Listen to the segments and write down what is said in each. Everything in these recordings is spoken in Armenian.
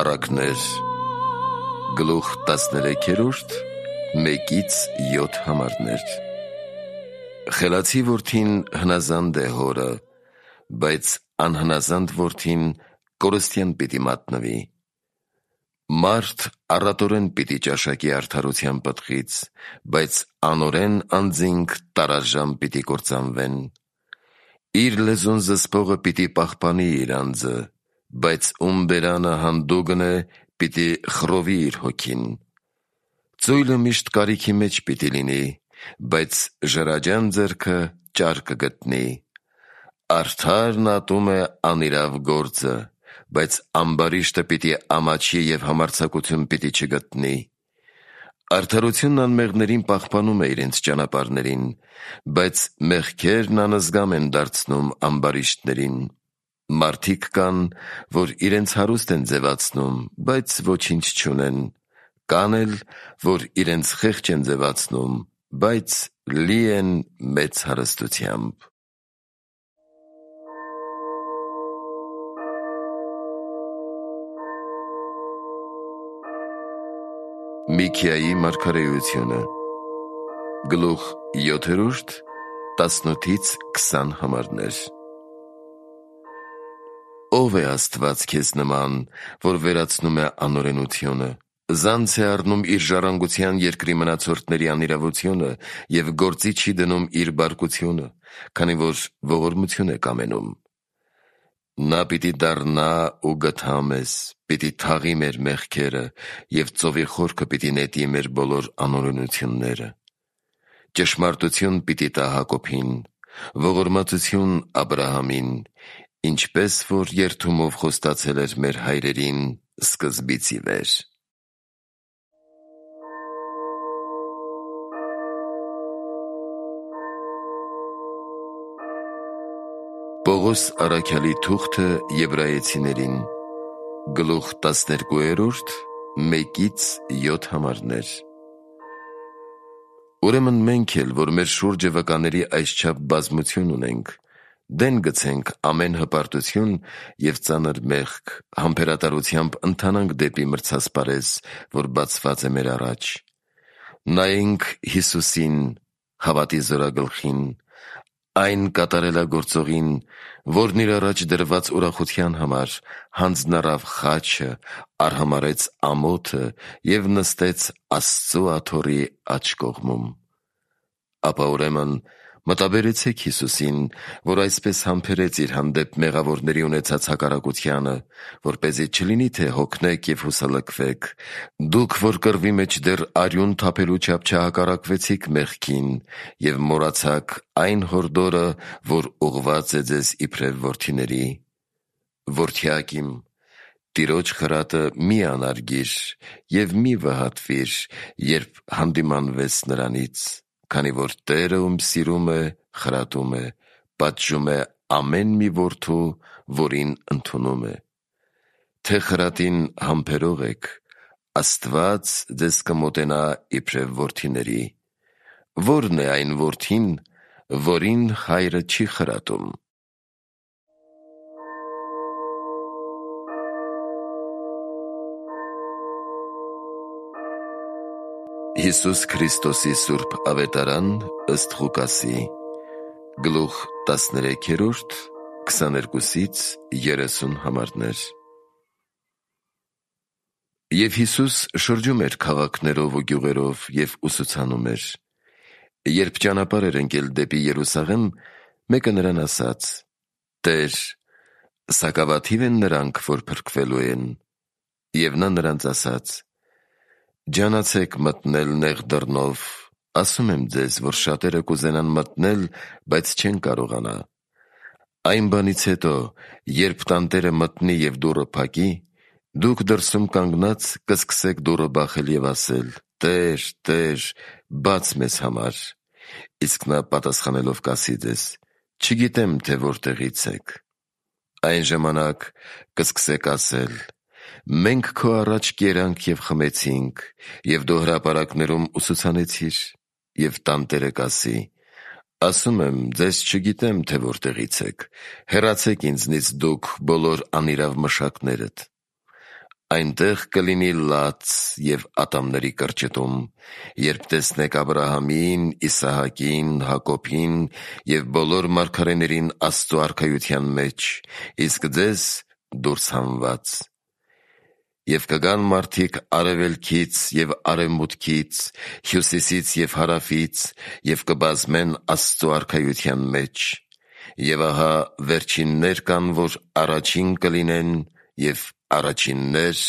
Առակներ գլուխ 13 1-7 համարներ Խելացի որդին հնազանդ է հորը, բայց անհնազանդ որդին կորստյան պիտի մատնվի։ Մարդ առատորեն պիտի ճաշակի արդարության պտղից, բայց անօրեն անձինք տարաժամ պիտի կործանվեն։ Իր լեզուն զսպողը պիտի պահպանի իր անձը, բայց ում բերանը հանդուգն է, պիտի խռովի իր հոգին։ Ծույլը միշտ կարիքի մեջ պիտի լինի, բայց ժրաջան ձեռքը ճար կգտնի։ Արդարն ատում է անիրավ գործը, բայց ամբարիշտը պիտի ամաչի և համարձակություն պիտի չգտնի։ Արդարությունն անմեղներին պահպանում է իրենց ճանապարհներին, բայց մեղքերն անզգամ են դարձնում ամբարիշտներին։ Մարդիկ կան, որ իրենց հարուստ են ձևացնում, բայց ոչինչ չունեն, կան էլ, որ իրենց խեղճ են ձևացնում, բայց լի են մեծ հարստությամբ։ Միքիայի մարգարեությունը գլուխ 7 18-20 համարներ Ո՞վ է Աստված քեզ նման, որ վերացնում է անօրենությունը, զանց է առնում իր ժառանգության երկրի մնացորդների անիրավությունը և գործի չի դնում իր բարկությունը, քանի որ ողորմություն է կամենում։ Նա պիտի դառնա ու գթա մեզ, պիտի թաղի մեր մեղքերը և ծովի խորքը պիտի նետի մեր բոլոր անօրենությունները։ Ճշմարտություն պիտի տա Հակոբին, ողորմածություն Աբրահամին, ինչպես որ երդումով խոստացել էր մեր հայրերին սկզբից ի վեր։ Պողոս առաքյալի թուղթը Եբրայեցիներին գլուխ 12 1-7 համարներ Ուրեմն մենք էլ, որ մեր շուրջը վկաների այսչափ բազմություն ունենք, դեն գցենք ամեն հպարտություն և ծանր մեղք, համբերատարությամբ ընթանանք դեպի մրցասպարեզ, որ բացված է մեր առաջ։ Նայենք Հիսուսին, հավատի զորագլխին, այն կատարելագործողին, որն իր առաջ դրված ուրախության համար հանձնառավ խաչը, արհամարհեց ամոթը և նստեց Աստծու աթոռի աջ կողմում։ Ապա ուրեմն մտաբերեցեք Հիսուսին, որ այսպես համբերեց իր հանդեպ մեղավորների ունեցած հակառակությանը, որպեսզի չլինի, թե հոգնեք և հուսալքվեք, դուք, որ կռվի մեջ դեռ արյուն թափելու չափ չհակառակվեցիք մեղքին և մոռացաք այն հորդորը, որ ուղղված է ձեզ իբրև որդիների։ Որդյակ իմ, Տիրոջ խրատը մի անարգիր և մի վհատվիր, երբ հանդիմանվես նրանից, քանի որ Տերը, ում սիրում է, խրատում է, պատժում է ամեն մի որդու, որին ընդունում է։ Թե խրատին համբերող եք, Աստված ձեզ կմոտենա իբրև որդիների։ Ո՞րն է այն որդին, որին հայրը չի խրատում։ Հիսուս Քրիստոսի սուրբ ավետարան ըստ Ղուկասի գլուխ 13 22-30 համարներ Եվ Հիսուս շրջում էր քաղաքներով ու գյուղերով և ուսուցանում էր։ Երբ ճանապարհ էր ընկել դեպի Երուսաղեմ, մեկը նրան ասաց. «Տեր, սակավաթիվ են նրանք, որ փրկվելու են»։ Եվ նա նրանց ասաց. «Ջանացեք մտնել նեղ դռնով, ասում եմ ձեզ, որ շատերը կուզենան մտնել, բայց չեն կարողանա։ Այն բանից հետո, երբ տանտերը մտնի և դուռը փակի, դուք դրսում կանգնած կսկսեք դուռը բախել և ասել. «Տեր, Տեր, բաց մեզ համար»։ Իսկ նա պատասխանելով կասի ձեզ. «Չգիտեմ, թե որտեղից եք»։ Այն ժամանակ կսկսեք ասել. «Մենք քո առաջ կերանք և խմեցինք, և դու հրապարակներում ուսուցանեցիր»։ Եվ տանտերը կասի. «Ասում եմ, ձեզ չգիտեմ, թե որտեղից եք, հեռացեք ինձնից դուք բոլոր անիրավ մշակներդ»։ այնտեղ կլինի լաց և ատամների կրճտում, երբ տեսնեք Աբրահամին, Իսահակին, Հակոբին և բոլոր մարգարեներին Աստծու արքայության մեջ, իսկ ձեզ դուրս հանված։ Եվ կգան մարդիկ արևելքից և արևմուտքից, հյուսիսից և հարավից, և կբազմեն Աստծու արքայության մեջ։ Եվ ահա վերջիններ կան, որ առաջին կլինեն, և առաջիններ,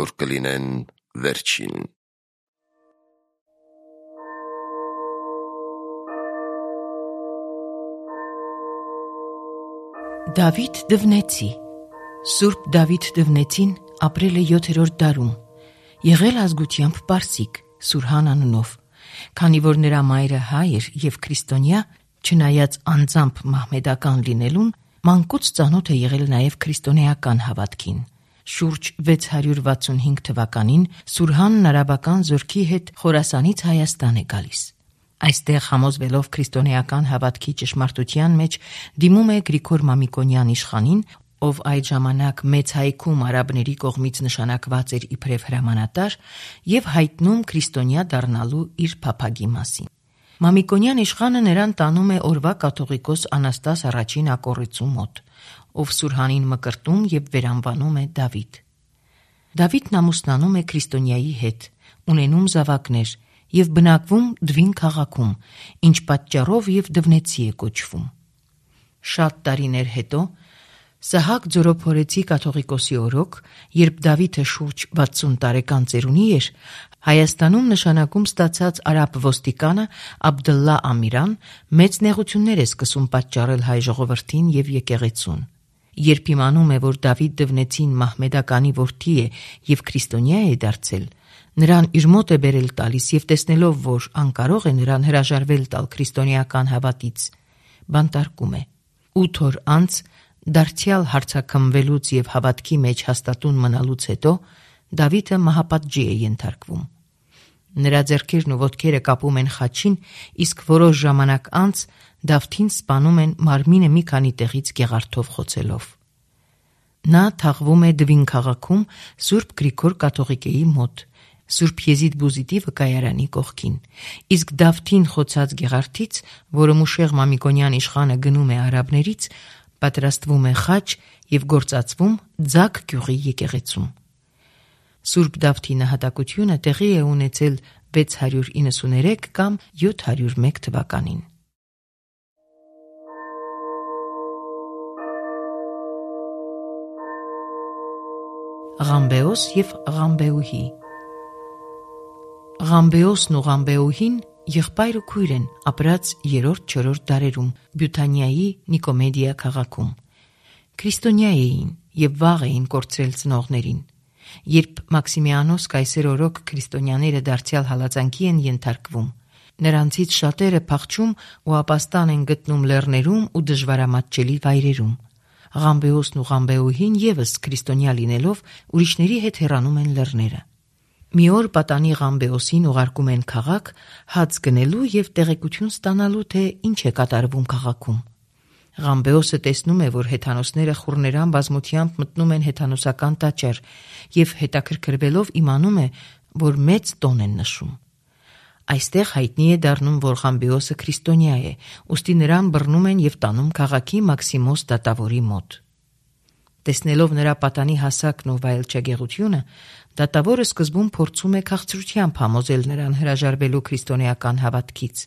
որ կլինեն վերջին։ Դավիթ Դվնեցի Սուրբ Դավիթ Դվնեցին ապրել է 7-րդ դարում, եղել ազգությամբ պարսիկ, Սուրհան անունով։ Քանի որ նրա մայրը հայ էր և քրիստոնյա, չնայած անձամբ մահմեդական լինելուն, մանկուց ծանոթ է եղել նաև քրիստոնեական հավատքին։ Շուրջ 665 թվականին Սուրհանն արաբական զորքի հետ Խորասանից Հայաստան է գալիս։ Այստեղ համոզվելով քրիստոնեական հավատքի ճշմարտության մեջ դիմում է Գրիգոր Մամիկոնյան իշխանին, ով այդ ժամանակ Մեծ Հայքում արաբների կողմից նշանակված էր իբրև հրամանատար, եւ հայտնում քրիստոնյա դառնալու իր փափագի մասին։ Մամիկոնյան իշխանը նրան տանում է օրվա կաթողիկոս Անաստաս առաջին ակոռիծու մոտ, ով Սուրհանին մկրտում եւ վերանվանում է Դավիթ։ Դավիթն ամուսնանում է քրիստոնյայի հետ, ունենում զավակներ եւ բնակվում Դվին քաղաքում, ինչ պատճառով եւ Դվնեցի է կոչվում։ Շատ տարիներ հետո Սահակ Ձորոփորեցի կաթողիկոսի օրոք, երբ Դավիթը շուրջ 60 տարեկան ծերունի էր, Հայաստանում նշանակում ստացած արաբ ոստիկանը Աբդլլա Ամիրան մեծ նեղություններ է սկսում պատճառել հայ ժողովրդին եւ եկեղեցուն։ Երբ իմանում է, որ Դավիթ Դվնեցին մահմեդականի որդի է եւ քրիստոնյա է դարձել, նրան իր մոտ է բերել տալիս եւ տեսնելով, որ անկարող է նրան հրաժարվել տալ քրիստոնեական հավատից, բանտարկում է։ 8 օր անց դարձյալ հարցաքմվելուց եւ հավատքի մեջ հաստատուն մնալուց հետո Դավիթը մահապատժի է ենթարկվում։ Նրա ձեռքերն ու ոտքերը կապում են խաչին, իսկ որոշ ժամանակ անց Դավթին սպանում են մարմինը մի քանի տեղից գեղարդով խոցելով։ Նա թաղվում է Դվին քաղաքում Սուրբ Գրիգոր կաթողիկեի մոտ, Սուրբ Եզիդ Բուզիդի վկայարանի կողքին, իսկ Դավթին խոցած գեղարդից, որը Մուշեղ Մամիկոնյան իշխանը գնում է արաբներից, պատրաստվում է խաչ եւ գործածվում Ձակ գյուղի եկեղեցում։ Սուրբ Դավթի նահատակությունը տեղի է ունեցել 693 կամ 701 թվականին։ Ղամբեոս եւ Ղամբեուհի Ղամբեոսն ու Ղամբեուհին եղբայր ու քույր են, ապրած 3-4 դարերում Բյութանիայի Նիկոմեդիա քաղաքում։ Քրիստոնյա էին եւ վաղ էին կորցրել ծնողներին։ Երբ Մաքսիմիանոս կայսեր օրոք քրիստոնյաները դարձյալ հալածանքի են ենթարկվում, նրանցից շատերը փախչում ու ապաստան են գտնում լեռներում ու դժվարամատչելի վայրերում։ Ղամբեոսն ու Ղամբեուհին եւս քրիստոնյա լինելով ուրիշների հետ հեռանում են լեռները։ Մի օր պատանի Ղամբեոսին ուղարկում են քաղաք հաց գնելու եւ տեղեկություն ստանալու, թե ինչ է կատարվում քաղաքում։ Ղամբեոսը տեսնում է, որ հեթանոսները խուռներան բազմությամբ մտնում են հեթանոսական տաճար եւ հետաքրքրվելով իմանում է, որ մեծ տոն են նշում։ Այստեղ հայտնի է դառնում, որ Ղամբեոսը քրիստոնյա է, ուստի նրան բռնում են եւ տանում քաղաքի Մաքսիմոս դատավորի մոտ։ Տեսնելով նրա պատանի հասակն ու վայելչագեղությունը, դատավորը սկզբում փորձում է քաղցրությամբ համոզել նրան հրաժարվելու քրիստոնեական հավատքից,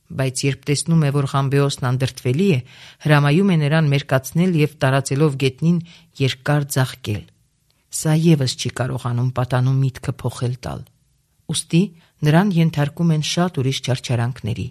բայց երբ տեսնում է, որ Ղամբեոսն անդրդվելի է, հրամայում է նրան մերկացնել եւ տարածելով գետնին երկար ձաղկել։ Սա եւս չի կարողանում պատանում միտքը փոխել տալ։ Ուստի նրան ենթարկում են շատ ուրիշ չարչարանքների։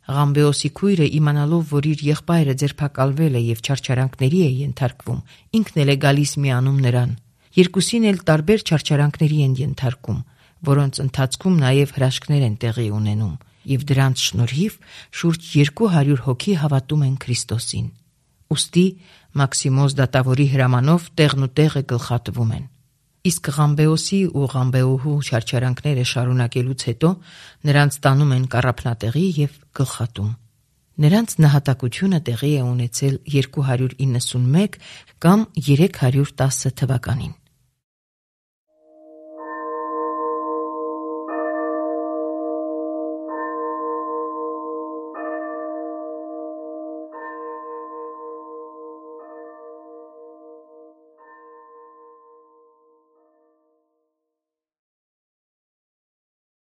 Ղամբեոսի քույրը իմանալով, որ իր եղբայրը ձերբակալվել է եւ չարչարանքների է ենթարկվում, ինքն էլ է գալիս միանում նրան։ Երկուսին էլ տարբեր չարչարանքների են ենթարկում, որոնց ընթացքում նաեւ հրաշքներ են տեղի ունենում, եւ դրանց շնորհիվ շուրջ 200 հոգի հավատում են Քրիստոսին։ Ուստի Մաքսիմոս դատավորի հրամանով տեղնուտեղը գլխատվում են։ Իսկ Ղամբեոսի ու Ղամբեուհու չարչարանքները շարունակելուց հետո նրանց տանում են կառափնատեղի եւ գլխատում։ Նրանց նահատակությունը տեղի է ունեցել 291 կամ 310 թվականին։